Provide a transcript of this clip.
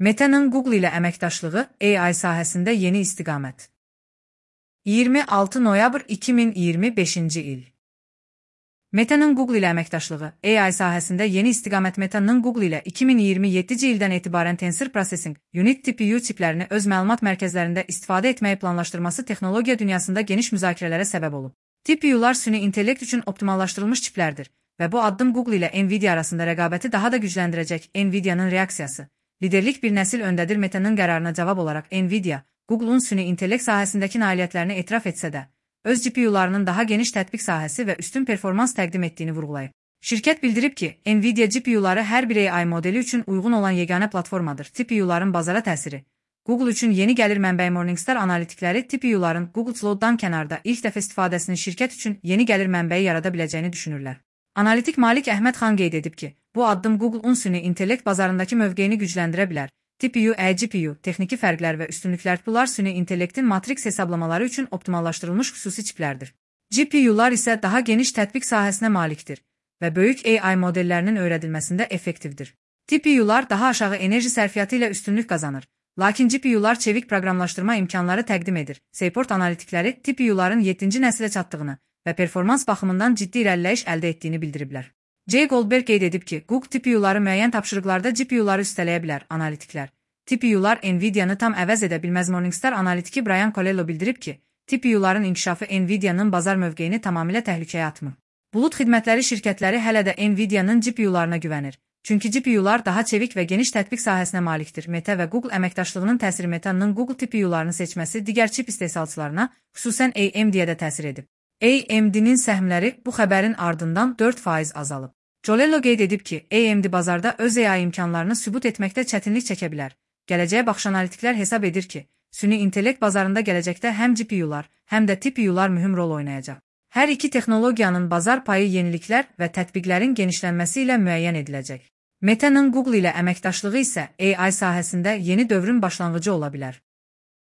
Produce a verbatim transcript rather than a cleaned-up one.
Meta'nın Google ilə əməkdaşlığı A I sahəsində yeni istiqamət. iyirmi altı noyabr iki min iyirmi beşinci il. Meta'nın Google ilə əməkdaşlığı A I sahəsində yeni istiqamət. Meta'nın Google ilə iki min iyirmi yeddinci ildən etibarən Tensor Processing Unit T P U çiplərini öz məlumat mərkəzlərində istifadə etməyi planlaşdırması texnologiya dünyasında geniş müzakirələrə səbəb olub. T P U'lar süni intellekt üçün optimallaşdırılmış çiplərdir və bu addım Google ilə Nvidia arasında rəqabəti daha da gücləndirəcək. Nvidia'nın reaksiyası. Liderlik bir nəsil öndədir. Meta'nın qərarına cavab olaraq Nvidia, Google'un süni intellekt sahəsindəki nailiyyətlərini etiraf etsə də, öz G P U'larının daha geniş tətbiq sahəsi və üstün performans təqdim etdiyini vurğulayıb. Şirkət bildirib ki, Nvidia G P U'ları hər bir A I modeli üçün uyğun olan yeganə platformadır. T P U'ların bazara təsiri. Google üçün yeni gəlir mənbəyi Morningstar analitikləri T P U'ların Google Cloud-dan kənarda ilk dəfə istifadəsinin şirkət üçün yeni gəlir mənbəyi yarada biləcəyini düşünürlər. Analitik Malik Əhməd xan qeyd edib ki, bu addım Google'un süni intellekt bazarındakı mövqeyini gücləndirə bilər. T P U, E G P U, texniki fərqlər və üstünlüklər. Bunlar süni intellektin matrix hesablamaları üçün optimallaşdırılmış xüsusi çiplərdir. G P U'lar isə daha geniş tətbiq sahəsinə malikdir və böyük A I modellərinin öyrədilməsində effektivdir. T P U'lar daha aşağı enerji sərfiyyatı ilə üstünlük qazanır, lakin G P U'lar çevik proqramlaşdırma imkanları təqdim edir. Seaport analitikləri T P U'ların yeddinci nəslə çatdığını və performans baxımından ciddi irəliləyiş əldə etdiyini bildiriblər. Jay Goldberg qeyd edib ki, Google T P U'ları müəyyən tapşırıqlarda G P U'ları üstələyə bilər. Analitiklər. T P U'lar Nvidia'nı tam əvəz edə bilməz. Morningstar analitiki Brian Colello bildirib ki, T P U'ların inkişafı Nvidia'nın bazar mövqeyini tamamilə təhlükəyə atmır. Bulut xidmətləri şirkətləri hələ də Nvidia'nın G P U'larına güvənir. Çünki G P U'lar daha çevik və geniş tətbiq sahəsinə malikdir. Meta və Google əməkdaşlığının təsiri. Meta'nın Google T P U'larını seçməsi digər çip istehsalçılarına, xüsusən A M D'yə də təsir edib. A M D'nin səhmləri bu xəbərin ardından dörd faiz azalıb. Colello qeyd edib ki, A M D bazarda öz A I imkanlarını sübut etməkdə çətinlik çəkə bilər. Gələcəyə baxış analitiklər hesab edir ki, süni intellekt bazarında gələcəkdə həm G P U'lar, həm də T P U'lar mühüm rol oynayacaq. Hər iki texnologiyanın bazar payı yeniliklər və tətbiqlərin genişlənməsi ilə müəyyən ediləcək. Meta'nın Google ilə əməkdaşlığı isə A I sahəsində yeni dövrün başlanğıcı ola bilər.